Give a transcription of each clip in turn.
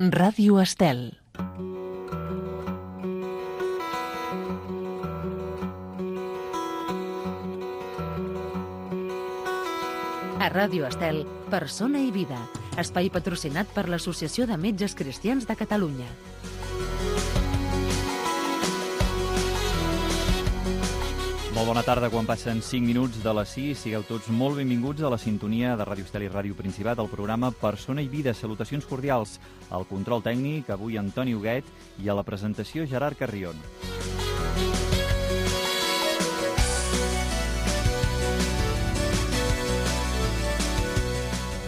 Ràdio Estel. A Ràdio Estel, Persona i Vida, espai patrocinat per l'Associació de Metges Cristians de Catalunya. Molt bona tarda, quan passen 5 minuts de les 6. Sigueu tots molt benvinguts a la sintonia de Ràdio Estel i Ràdio Principat, al programa Persona i Vida. Salutacions cordials al control tècnic, avui Antoni Huguet, i a la presentació Gerard Carrion.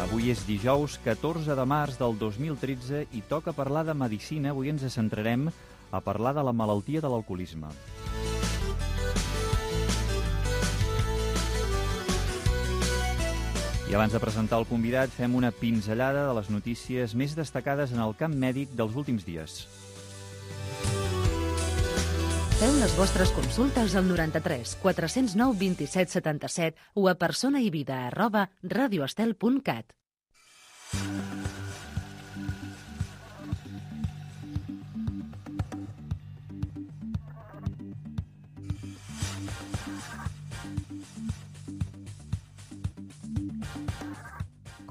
Avui és dijous 14 de març del 2013 i toca parlar de medicina. Avui ens centrarem a parlar de la malaltia de l'alcoholisme. I abans de presentar el convidat, fem una pinzellada de les notícies més destacades en el camp mèdic dels últims dies. Feu les vostres consultes al 93 409 27 77 o a personaivida@radioestel.cat.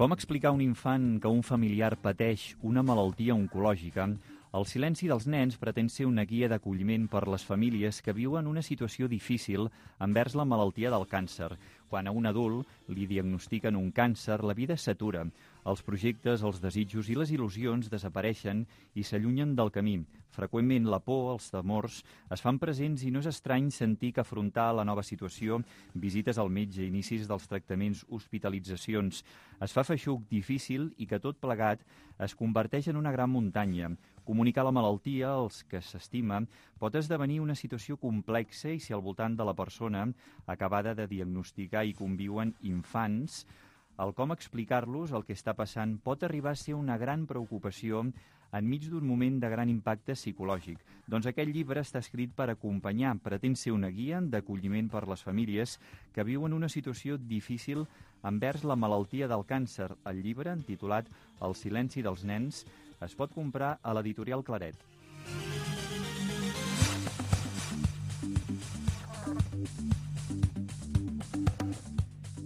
Com explicar a un infant que un familiar pateix una malaltia oncològica? El silenci dels nens pretén ser una guia d'acolliment per les famílies que viuen una situació difícil envers la malaltia del càncer. Quan a un adult li diagnostiquen un càncer, la vida s'atura. Els projectes, els desitjos i les il·lusions desapareixen i s'allunyen del camí. Freqüentment la por, els temors, es fan presents i no és estrany sentir que afrontar la nova situació, visites al metge, inicis dels tractaments, hospitalitzacions, es fa feixuc, difícil i que tot plegat es converteix en una gran muntanya. Comunicar la malaltia als que s'estima pot esdevenir una situació complexa i si al voltant de la persona acabada de diagnosticar i conviuen infants, el com explicar-los el que està passant pot arribar a ser una gran preocupació enmig d'un moment de gran impacte psicològic. Doncs aquest llibre està escrit per acompanyar, pretén ser una guia d'acolliment per les famílies que viuen una situació difícil envers la malaltia del càncer. El llibre, titulat El silenci dels nens, es pot comprar a l'editorial Claret.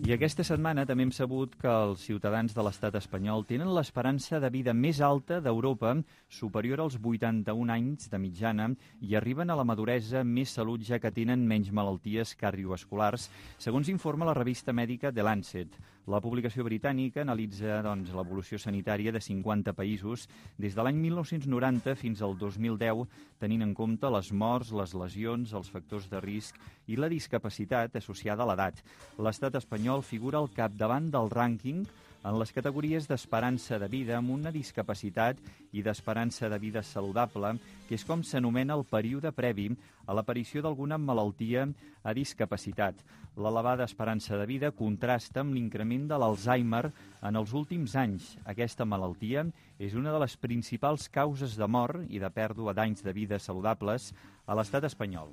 I aquesta setmana també hem sabut que els ciutadans de l'estat espanyol tenen l'esperança de vida més alta d'Europa, superior als 81 anys de mitjana, i arriben a la maduresa més salut ja que tenen menys malalties cardiovasculars, segons informa la revista mèdica The Lancet. La publicació britànica analitza l'evolució sanitària de 50 països des de l'any 1990 fins al 2010, tenint en compte les morts, les lesions, els factors de risc i la discapacitat associada a l'edat. L'estat espanyol figura al capdavant del rànquing en les categories d'esperança de vida amb una discapacitat i d'esperança de vida saludable, que és com s'anomena el període previ a l'aparició d'alguna malaltia a discapacitat. L'elevada esperança de vida contrasta amb l'increment de l'Alzheimer en els últims anys. Aquesta malaltia és una de les principals causes de mort i de pèrdua d'anys de vida saludables a l'estat espanyol.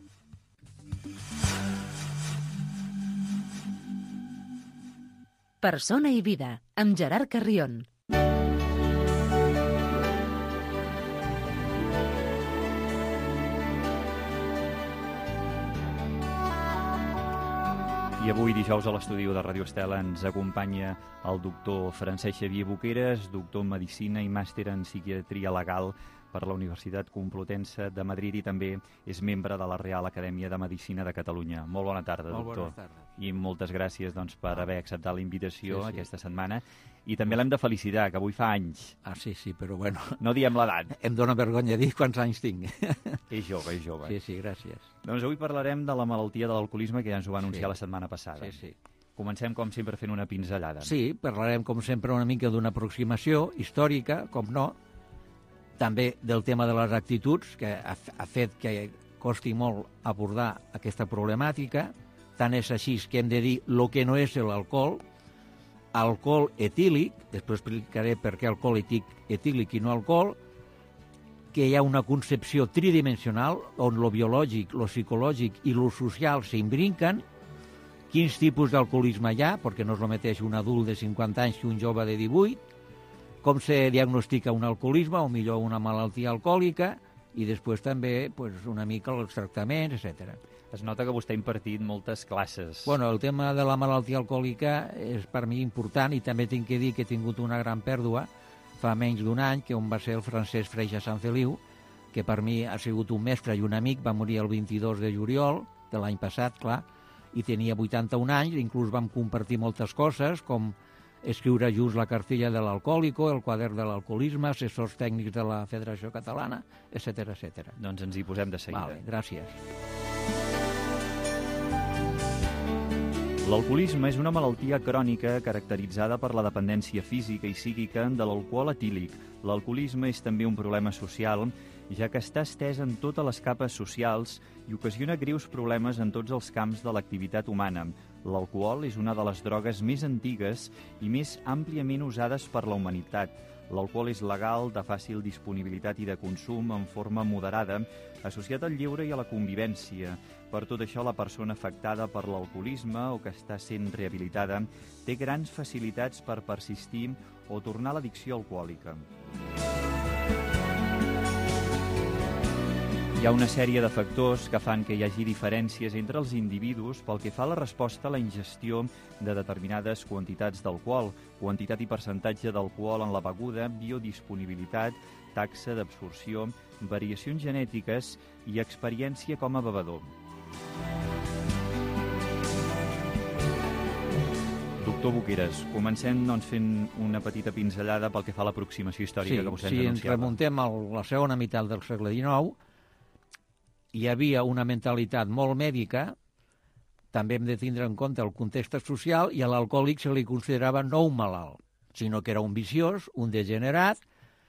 Persona i Vida, amb Gerard Carrion. I avui, dijous, a l'estudi de Ràdio Estel ens acompanya el doctor Francesc Xavier Boqueras, doctor en Medicina i màster en Psiquiatria Legal per la Universitat Complutense de Madrid i també és membre de la Real Acadèmia de Medicina de Catalunya. Molt bona tarda, doctor. Molt bona tarda. I moltes gràcies per haver acceptat la invitació aquesta setmana. I també l'hem de felicitar, que avui fa anys. Ah, sí, però bueno... No diem l'edat. Em dóna vergonya dir quants anys tinc. És jove, és jove. Sí, gràcies. Doncs avui parlarem de la malaltia de l'alcoholisme, que ja ens ho va anunciar la setmana passada. Sí. Comencem, com sempre, fent una pinzellada. Sí, parlarem, com sempre, una mica d'una aproximació històrica, com no, també del tema de les actituds, que ha fet que costi molt abordar aquesta problemàtica. Tant és així que hem de dir el que no és l'alcohol, alcohol etílic, després explicaré per què alcohol etílic i no alcohol, que hi ha una concepció tridimensional on lo biològic, lo psicològic i lo social s'imbrinquen, quins tipus d'alcoholisme hi ha, perquè no és el mateix un adult de 50 anys que un jove de 18, com se diagnostica un alcoholisme o millor una malaltia alcohòlica i després també una mica els tractaments, etc. Es nota que vostè ha impartit moltes classes. Bueno, el tema de la malaltia alcohòlica és per mi important i també tinc que dir que he tingut una gran pèrdua fa menys d'un any, que on va ser el Francesc Freixa Sanfeliu, que per mi ha sigut un mestre i un amic, va morir el 22 de juliol de l'any passat, clar, i tenia 81 anys, inclús vam compartir moltes coses, com escriure junts la cartilla de l'alcohòlico, el quadern de l'alcoholisme, assessors tècnics de la Federació Catalana, etc etc. Doncs ens hi posem de seguida. Vale, gràcies. L'alcoholisme és una malaltia crònica caracteritzada per la dependència física i psíquica de l'alcohol etílic. L'alcoholisme és també un problema social, ja que està estès en totes les capes socials i ocasiona greus problemes en tots els camps de l'activitat humana. L'alcohol és una de les drogues més antigues i més àmpliament usades per la humanitat. L'alcohol és legal, de fàcil disponibilitat i de consum en forma moderada, associat al lleure i a la convivència. Per tot això, la persona afectada per l'alcoholisme o que està sent rehabilitada té grans facilitats per persistir o tornar a l'addicció alcohòlica. Hi ha una sèrie de factors que fan que hi hagi diferències entre els individus pel que fa a la resposta a la ingestió de determinades quantitats d'alcohol, quantitat i percentatge d'alcohol en la beguda, biodisponibilitat, taxa d'absorció, variacions genètiques i experiència com a bevedor. Doctor Boqueras, comencem fent una petita pinzellada pel que fa a l'aproximació històrica que vostè ens anunciava. Si ens remuntem a la segona meitat del segle XIX, hi havia una mentalitat molt mèdica, també hem de tindre en compte el context social, i a l'alcohòlic se li considerava no un malalt, sinó que era un viciós, un degenerat,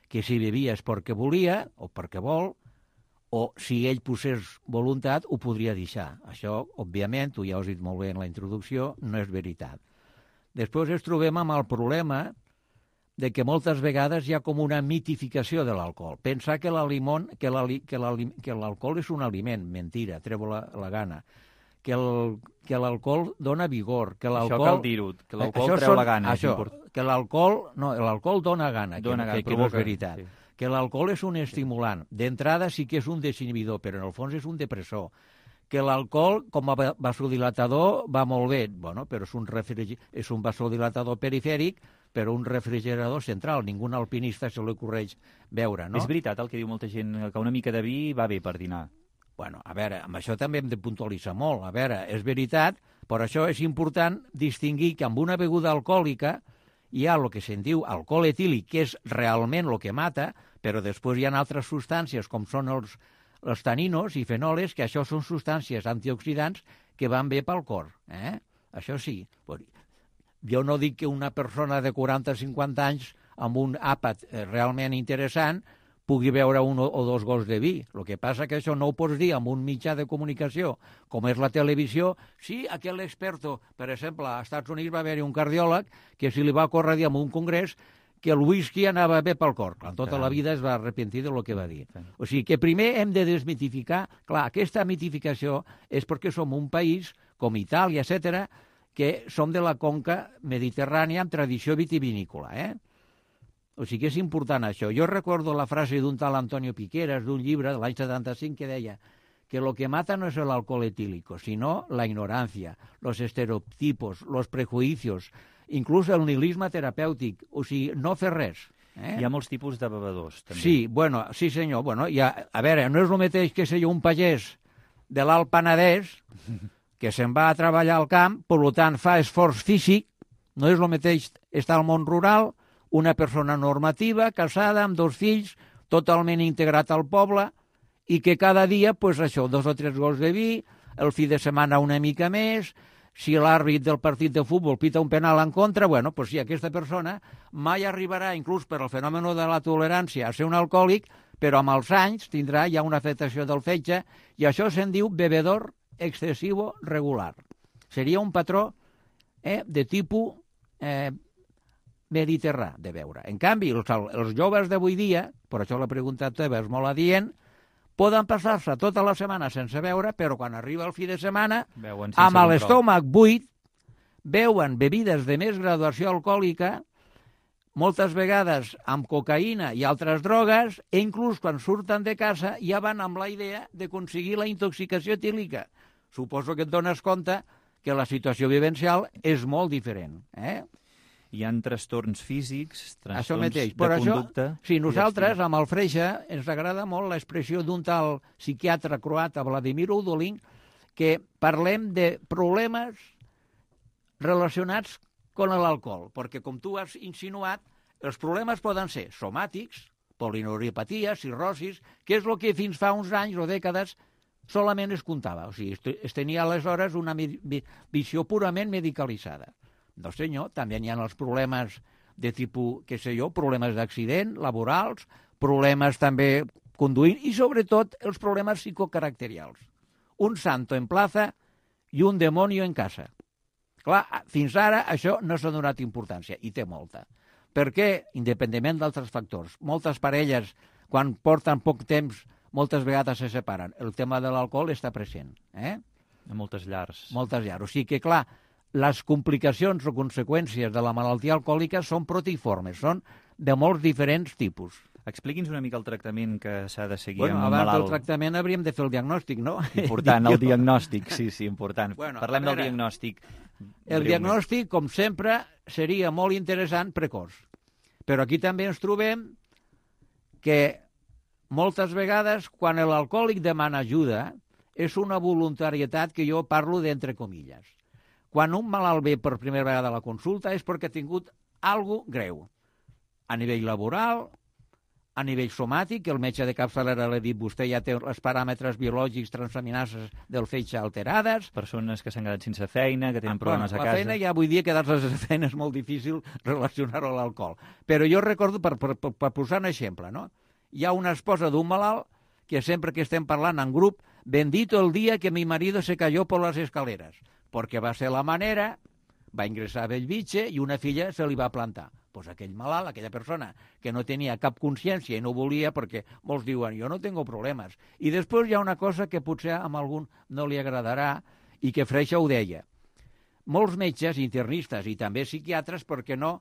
que si bevia és perquè volia o perquè vol, o si ell posés voluntat ho podria deixar. Això, òbviament, tu ja ho has dit molt bé en la introducció, no és veritat. Després ens trobem amb el problema de que moltes vegades hi ha com una mitificació de l'alcohol. Pensar que l'alcohol és un aliment, mentira, treu la gana. Que l'alcohol dona vigor. Que això cal dir-ho, que l'alcohol treu la gana. Que l'alcohol dona gana, que no és veritat. Sí. Que l'alcohol és un estimulant. D'entrada sí que és un desinhibidor, però en el fons és un depressor. Que l'alcohol, com a vasodilatador, va molt bé, però és un vasodilatador perifèric, però un refrigerador central. Ningú alpinista se li ocorreix beure, no? És veritat el que diu molta gent, que una mica de vi va bé per dinar. Bueno, a veure, amb això també hem de puntualitzar molt. A veure, és veritat, per això és important distingir que amb una beguda alcohòlica hi ha el que se'n diu alcohol etílic, que és realment el que mata, però després hi ha altres substàncies, com són els taninos i fenoles, que això són substàncies antioxidants que van bé pel cor. Això sí. Jo no dic que una persona de 40-50 anys amb un àpat realment interessant pugui beure un o dos gots de vi. El que passa que això no ho pots dir amb un mitjà de comunicació, com és la televisió. Sí, aquell experto, per exemple, als Estats Units va haver-hi un cardiòleg que si li va córrer dir en un congrés que el whisky anava bé pel cor. Clar, tota la vida es va arrepentir del que va dir. O sigui que primer hem de desmitificar. Clar, aquesta mitificació és perquè som un país, com Itàlia, etc., que som de la conca mediterrània amb tradició vitivinícola. O sigui que és important això. Jo recordo la frase d'un tal Antonio Piqueras, d'un llibre de l'any 75, que deia que lo que mata no es el alcohol etílico, sino la ignorancia, los estereotipos, los prejuicios, inclús el nihilisme terapèutic. O sigui, no fer res. Hi ha molts tipus de bevedors, també. Sí senyor. A veure, no és el mateix que ser un pagès de l'Alt Penedès que se'n va a treballar al camp, per tant fa esforç físic, no és el mateix estar al món rural, una persona normativa, casada, amb 2 fills, totalment integrat al poble, i que cada dia, 2 o 3 gots de vi, el fi de setmana una mica més, si l'àrbit del partit de futbol pita un penal en contra, sí, aquesta persona mai arribarà, inclús per el fenomen de la tolerància, a ser un alcohòlic, però amb els anys tindrà ja una afectació del fetge, i això se'n diu bevedor excesivo regular. Seria un patró de tipus mediterrà de beure. En canvi, els joves d'avui dia, per això la pregunta teva és molt adient, poden passar-se tota la setmana sense beure, però quan arriba el fi de setmana, amb l'estómac buit, beuen bebides de més graduació alcohòlica, moltes vegades amb cocaïna i altres drogues, i inclús quan surten de casa ja van amb la idea d'aconseguir la intoxicació etílica. Suposo que et dones compte que la situació vivencial és molt diferent. Hi ha trastorns físics, Això trastorns mateix. de Per això, conducta... sí, nosaltres, amb el Freixa, ens agrada molt l'expressió d'un tal psiquiatre croata, Vladimir Udolin, que parlem de problemes relacionats amb l'alcohol, perquè, com tu has insinuat, els problemes poden ser somàtics, polineuropatia, cirrosis, que és el que fins fa uns anys o dècades solament es comptava. O sigui, es tenia aleshores una visió purament medicalitzada. No, senyor, també hi ha els problemes de tipus, què sé jo, problemes d'accident, laborals, problemes també conduint i, sobretot, els problemes psicocaracterials. Un santo en plaza i un demonio en casa. Clar, fins ara això no s'ha donat importància, i té molta. Perquè, independentment d'altres factors, moltes parelles, quan porten poc temps, moltes vegades se separen. El tema de l'alcohol està present. A moltes llars. Moltes llars. O sigui que, clar, les complicacions o conseqüències de la malaltia alcohòlica són protiformes, són de molts diferents tipus. Expliqui'ns una mica el tractament que s'ha de seguir amb un malalt. Abans del tractament hauríem de fer el diagnòstic, no? Important, el diagnòstic, sí, important. Bueno, parlem del diagnòstic. El diagnòstic, com sempre, seria molt interessant precoç. Però aquí també ens trobem que moltes vegades, quan l'alcohòlic demana ajuda, és una voluntarietat que jo parlo d'entre comilles. Quan un malalt ve per primera vegada a la consulta és perquè ha tingut alguna cosa greu. A nivell laboral, a nivell somàtic, que el metge de capçalera l'ha dit, vostè ja té els paràmetres biològics transaminases del fetge alterades. Persones que s'han quedat sense feina, que tenen problemes a casa. La feina, ja vull dir, quedar-se sense feina és molt difícil relacionar-ho a l'alcohol. Però jo recordo, per posar un exemple, no? Hi ha una esposa d'un malalt que sempre que estem parlant en grup, bendito el dia que mi marido se cayó por las escaleras, perquè va ser la manera, va ingressar a Bellvitge i una filla se li va plantar. Pues aquell malalt, aquella persona que no tenia cap consciència i no volia, perquè molts diuen, jo no tengo problemes. I després hi ha una cosa que potser a algun no li agradarà i que Freixa ho deia. Molts metges, internistes i també psiquiatres, perquè no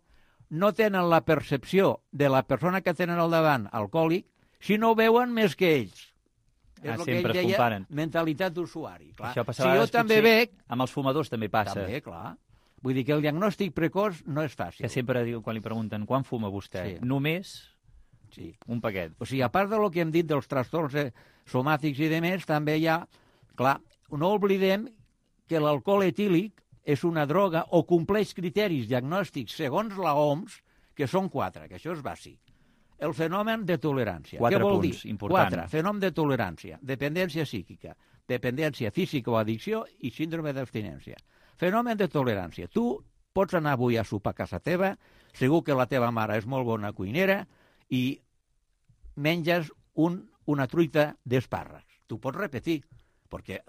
tenen la percepció de la persona que tenen al davant, alcohòlic, si no veuen més que ells. És el que ell deia, mentalitat d'usuari. Això passava si jo també veig... Amb els fumadors també passa. També, clar. Vull dir que el diagnòstic precoç no és fàcil. Que sempre diu, quan li pregunten, quan fuma vostè? Sí. Només un paquet. O sigui, a part del que hem dit dels trastorns somàtics i demés, també hi ha... Clar, no oblidem que l'alcohol etílic és una droga o compleix criteris diagnòstics segons la OMS, que són 4, que això és bàsic. El fenomen de tolerància. 4 Què vol dir? Punts, important. 4. Fenomen de tolerància, dependència psíquica, dependència física o addicció i síndrome d'abstinència. Fenomen de tolerància. Tu pots anar avui a sopar a casa teva, segur que la teva mare és molt bona cuinera i menges una truita d'espàrrecs. Tu pots repetir, perquè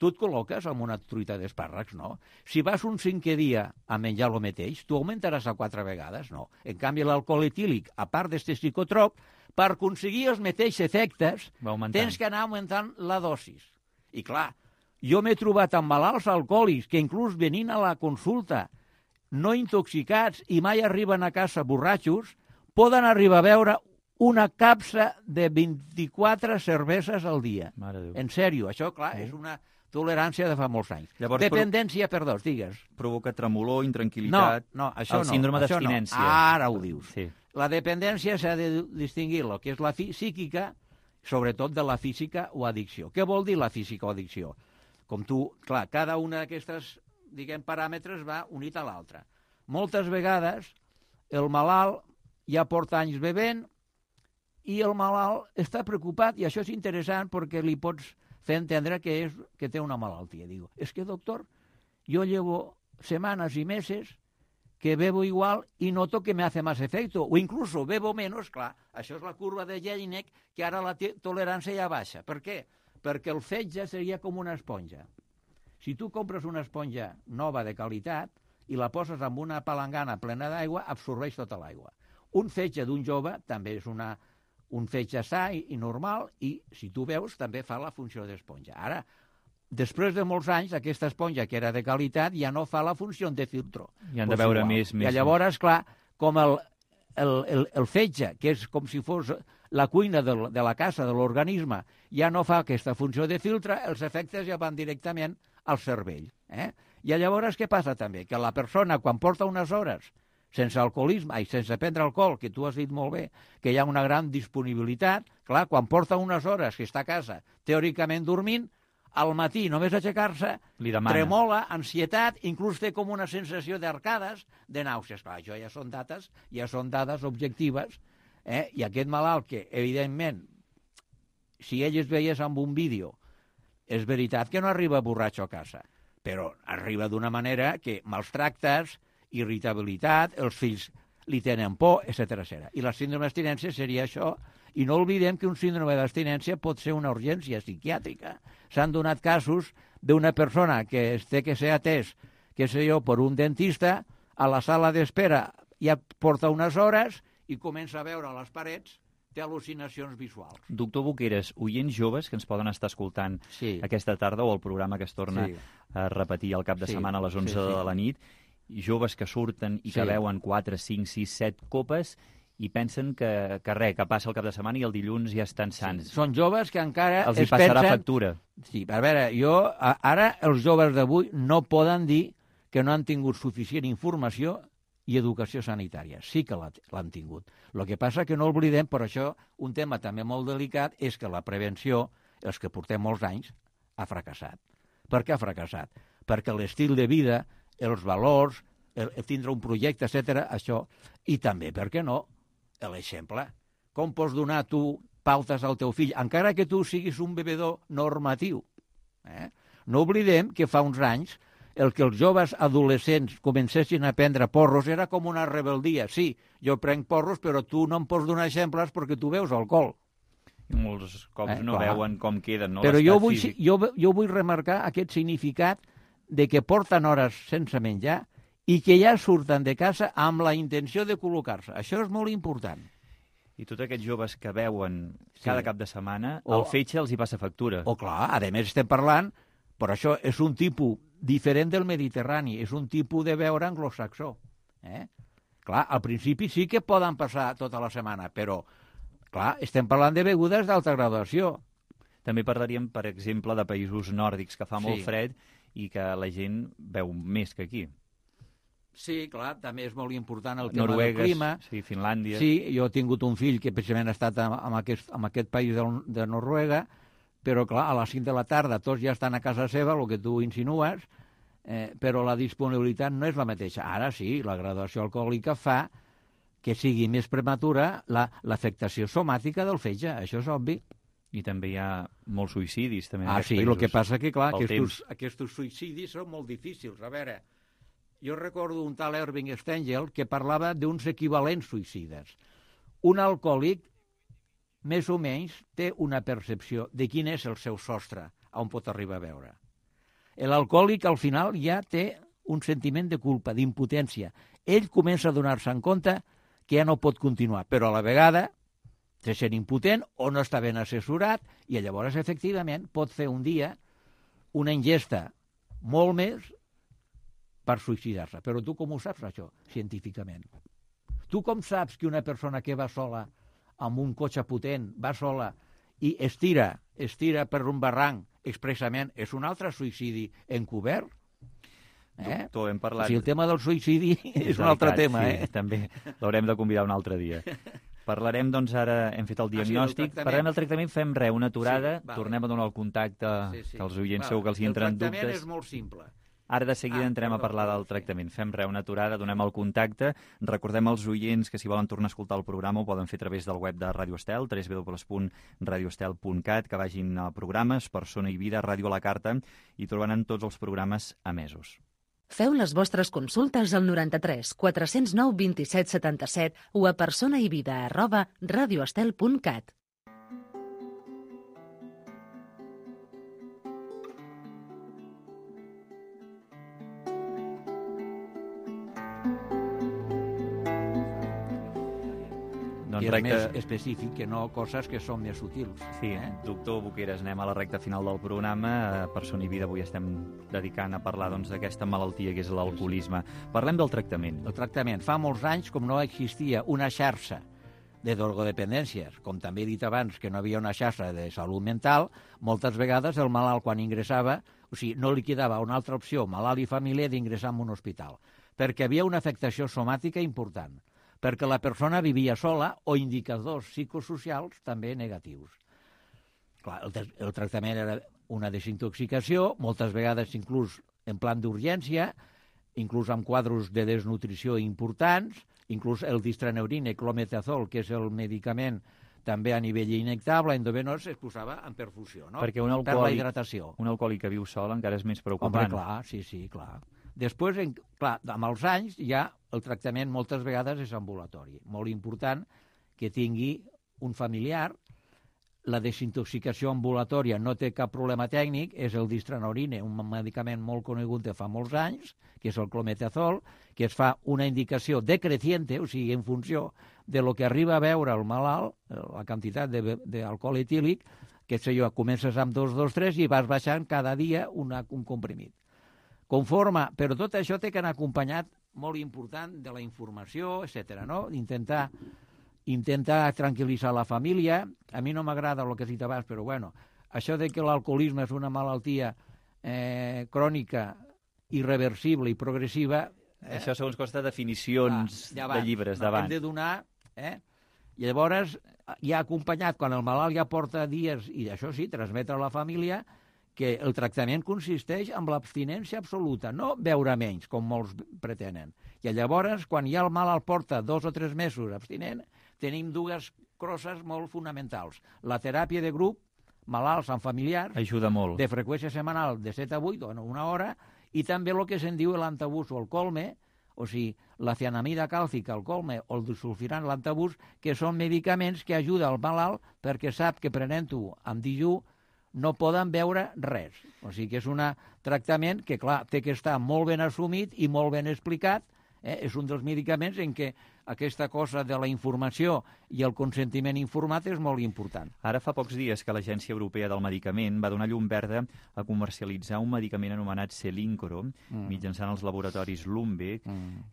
tu et col·loques amb una truita d'espàrrecs, no? Si vas un 5è dia a menjar el mateix, tu augmentaràs a 4 vegades, no? En canvi, l'alcohol etílic, a part d'aquest psicotrop, per aconseguir els mateixos efectes, tens que anar augmentant la dosis. I clar, jo m'he trobat amb malalts alcohòlics que inclús venint a la consulta no intoxicats i mai arriben a casa borratxos, poden arribar a veure una capsa de 24 cerveses al dia. En sèrio, això, clar, és una tolerància de fa molts anys. Llavors, dependència, perdó, digues. Provoca tremolor, intranquil·litat... No, això no. El síndrome d'abstinència. Ara ho dius. Sí. La dependència s'ha de distingir el que és la psíquica, sobretot de la física o addicció. Què vol dir la física o addicció? Com tu, clar, cada una d'aquestes, diguem, paràmetres va unit a l'altra. Moltes vegades el malalt ja porta anys bevent i el malalt està preocupat, i això és interessant perquè li pots fer entendre que té una malaltia. Digo, es que doctor, yo llevo semanas y meses que bebo igual y noto que me hace más efecto, o incluso bebo menos, clar, això és la curva de Jelinek, que ara la tolerància ja baixa. Per què? Perquè el fetge seria com una esponja. Si tu compres una esponja nova de qualitat i la poses amb una palangana plena d'aigua, absorbeix tota l'aigua. Un fetge d'un jove també és un fetge sa i normal, i si tu veus també fa la funció d'esponja. Ara, després de molts anys, aquesta esponja que era de qualitat ja no fa la funció de filtro. I han de veure més. I llavors, clar, com el fetge, que és com si fos la cuina de la casa, de l'organisme, ja no fa aquesta funció de filtre, els efectes ja van directament al cervell. I llavors què passa també? Que la persona, quan porta unes hores sense alcoholisme, i sense prendre alcohol, que tu has dit molt bé, que hi ha una gran disponibilitat, clar, quan porta unes hores que està a casa, teòricament dormint, al matí, només aixecar-se, tremola, ansietat, inclús té com una sensació d'arcades, de nàusees. Clar, això ja són dades objectives, i aquest malalt que, evidentment, si ell es veiés amb un vídeo, és veritat que no arriba borratxo a casa, però arriba d'una manera que maltractes, irritabilitat, els fills li tenen por, etc. I la síndrome d'abstinència seria això. I no oblidem que un síndrome d'abstinència pot ser una urgència psiquiàtrica. S'han donat casos d'una persona que té que ser atès, què sé jo, per un dentista, a la sala d'espera ja porta unes hores i comença a veure a les parets, té al·lucinacions visuals. Doctor Boqueras, oients joves que ens poden estar escoltant aquesta tarda o el programa que es torna a repetir al cap de setmana a les 11 de la nit, joves que surten i que veuen 4, 5, 6, 7 copes i pensen que passa el cap de setmana i el dilluns ja estan sants. Sí. Són joves que encara els hi passarà factura. Sí, a veure, ara els joves d'avui no poden dir que no han tingut suficient informació i educació sanitària. Sí que l'han tingut. El que passa que no oblidem, per això, un tema també molt delicat és que la prevenció, els que portem molts anys, ha fracassat. Per què ha fracassat? Perquè l'estil de vida, els valors, el tindre un projecte, etc., això, i també, per què no, l'exemple. Com pots donar tu pautes al teu fill, encara que tu siguis un bevedor normatiu? No oblidem que fa uns anys el que els joves adolescents comencessin a prendre porros era com una rebeldia. Sí, jo prenc porros, però tu no em pots donar exemples perquè tu veus alcohol. I molts cops no veuen com queden, no? Però jo vull remarcar aquest significat de que porten hores sense menjar i que ja surten de casa amb la intenció de col·locar-se. Això és molt important. I tots aquests joves que veuen cada cap de setmana, el fetge els hi passa factura. Clar, a més estem parlant, però això és un tipus diferent del Mediterrani, és un tipus de beure anglosaxó. Clar, al principi sí que poden passar tota la setmana, però, clar, estem parlant de begudes d'alta graduació. També parlaríem, per exemple, de països nòrdics que fa molt fred i que la gent beu més que aquí. Sí, clar, també és molt important el tema del clima. Sí, Finlàndia. Sí, jo he tingut un fill que precisament ha estat en aquest país de Noruega, però clar, a les 5 de la tarda tots ja estan a casa seva, el que tu insinues, però la disponibilitat no és la mateixa. Ara sí, la graduació alcohòlica fa que sigui més prematura l'afectació somàtica del fetge, això és obvi. I també hi ha molts suïcidis. També sí, el que passa que, clar, aquests suïcidis són molt difícils. A veure, jo recordo un tal Irving Stengel que parlava d'uns equivalents suïcides. Un alcohòlic, més o menys, té una percepció de quin és el seu sostre, on pot arribar a veure. L'alcohòlic, al final, ja té un sentiment de culpa, d'impotència. Ell comença a donar-se en compte que ja no pot continuar, però a la vegada se sent impotent o no està ben assessorat i llavors, efectivament, pot fer un dia una ingesta molt més per suïcidar-se. Però tu com ho saps, això, científicament? Tu com saps que una persona que va sola amb un cotxe potent, va sola i estira per un barranc expressament, és un altre suïcidi encobert? Doctor, hem parlat... El tema del suïcidi és un altre tema. Sí, també l'haurem de convidar un altre dia. Parlarem, doncs, ara hem fet el diagnòstic, parlarem del tractament, fem una aturada, tornem a donar el contacte, que els oients segur que els hi entren dubtes. El tractament és molt simple. Ara de seguida entrem a parlar del tractament. Fem una aturada, donem el contacte. Recordem als oients que si volen tornar a escoltar el programa ho poden fer a través del web de Ràdio Estel, www.radioestel.cat, que vagin a programes, Persona i Vida, Ràdio a la Carta, i trobaran tots els programes emesos. Feu les vostres consultes al 93 409 27 77 o a personaivida@radioestel.cat. I és més específic que no coses que són més sutils. Sí, doctor Boqueras, anem a la recta final del programa. Per Son i Vida avui estem dedicant a parlar d'aquesta malaltia que és l'alcoholisme. Parlem del tractament. El tractament. Fa molts anys, com no existia una xarxa de drogodependències, com també he dit abans que no havia una xarxa de salut mental, moltes vegades el malalt quan ingressava, o sigui, no li quedava una altra opció, malalt i família, d'ingressar en un hospital, perquè havia una afectació somàtica important, perquè la persona vivia sola o indicadors psicosocials també negatius. Clar, el tractament era una desintoxicació, moltes vegades inclús en plan d'urgència, inclús amb quadros de desnutrició importants, inclús el distraneurin, clometazol, que és el medicament també a nivell injectable, endovenós, es posava en perfusió, no? Perquè per la hidratació. Un alcohòlic que viu sol encara és més preocupant. Home, clar, sí, clar. Després, clar, amb els anys, ja el tractament moltes vegades és ambulatori. Molt important que tingui un familiar. La desintoxicació ambulatòria no té cap problema tècnic, és el distraneurin, un medicament molt conegut de fa molts anys, que és el clometazol, que es fa una indicació decreciente, o sigui, en funció de lo que arriba a veure el malalt, la quantitat d'alcohol etílic, que sé jo, comences amb 2, 2, 3 i vas baixant cada dia un comprimit. Conforme, però tot això té que anar acompanyat, molt important, de la informació, etc. no? Intentar tranquil·litzar la família. A mi no m'agrada el que has dit abans, però bueno, això de que l'alcoholisme és una malaltia crònica, irreversible i progressiva... Això segons costa definicions de llibres d'abans. Hem de donar... I llavors, ja acompanyat, quan el malalt ja porta dies, i això sí, transmetre a la família, que el tractament consisteix en l'abstinència absoluta, no beure menys, com molts pretenen. I llavors, quan ja el malalt porta 2 o 3 mesos abstinent, tenim dues coses molt fonamentals. La teràpia de grup, malalts amb familiars, ajuda molt. De freqüència setmanal de 7 a 8, o una hora, i també el que se'n diu l'antabús o el colme, o sigui, la cianamida càlcica, el colme o el disulfiram, l'antabús, que són medicaments que ajuden al malalt perquè sap que prenent-ho amb dijú no poden veure res. O sigui que és un tractament que, clar, té que estar molt ben assumit i molt ben explicat. És un dels medicaments en què aquesta cosa de la informació i el consentiment informat és molt important. Ara fa pocs dies que l'Agència Europea del Medicament va donar llum verda a comercialitzar un medicament anomenat Selincro, mitjançant els laboratoris Lundbeck,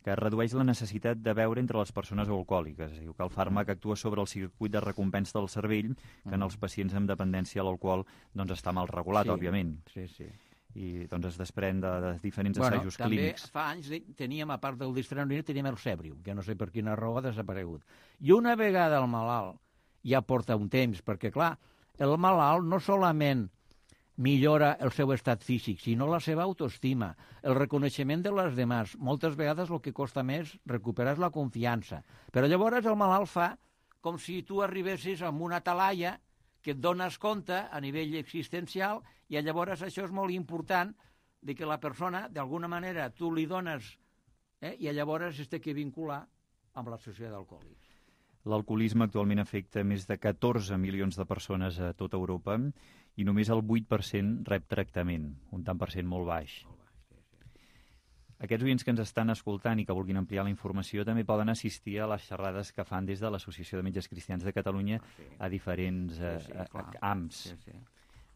que redueix la necessitat de beure entre les persones alcohòliques. Diu que el fàrmac actua sobre el circuit de recompensa del cervell, que en els pacients amb dependència a l'alcohol doncs, està mal regulat, òbviament. Sí. I doncs es desprèn de diferents assajos clínics. També fa anys teníem, a part del distraneurin, teníem el Sebrium, que no sé per quina raó ha desaparegut. I una vegada el malalt ja porta un temps, perquè clar, el malalt no solament millora el seu estat físic, sinó la seva autoestima, el reconeixement de les demás. Moltes vegades el que costa més recuperar és la confiança. Però llavors el malalt fa com si tu arribessis amb una talaia que et dones compte a nivell existencial, i llavors això és molt important, de que la persona, d'alguna manera, tu li dones, i llavors es té que vincular amb l'associació d'alcohòlics. L'alcoholisme actualment afecta més de 14 milions de persones a tota Europa i només el 8% rep tractament, un tant per cent molt baix. Aquests oients que ens estan escoltant i que vulguin ampliar la informació també poden assistir a les xerrades que fan des de l'Associació de Metges Cristians de Catalunya a diferents AMS.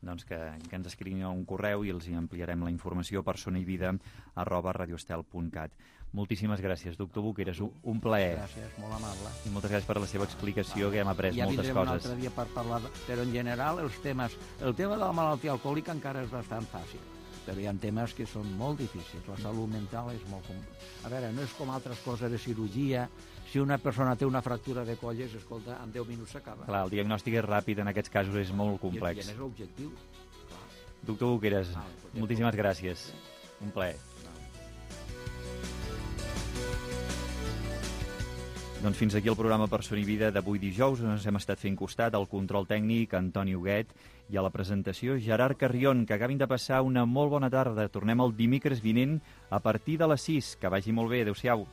Doncs que ens escriguin un correu i els hi ampliarem la informació per sonaivida@radioestel.cat. Moltíssimes gràcies, doctor Boqueras, un plaer. Gràcies, molt amable. I moltes gràcies per la seva explicació, que hem après moltes coses. Ja vindrem un altre dia per parlar, però en general el tema de la malaltia alcohòlica encara és bastant fàcil. Però hi ha temes que són molt difícils. La salut mental és molt... A veure, no és com altres coses de cirurgia. Si una persona té una fractura de colles, escolta, en 10 minuts s'acaba. Clar, el diagnòstic és ràpid, en aquests casos és molt complex. I és l'objectiu. Doctor Boqueras, moltíssimes gràcies. Un plaer. Doncs fins aquí el programa Per Son i Vida d'avui dijous. Ens hem estat fent costat al control tècnic Antoni Huguet i a la presentació Gerard Carrion, que acabin de passar una molt bona tarda. Tornem el dimecres vinent a partir de les 6. Que vagi molt bé. Adéu-siau.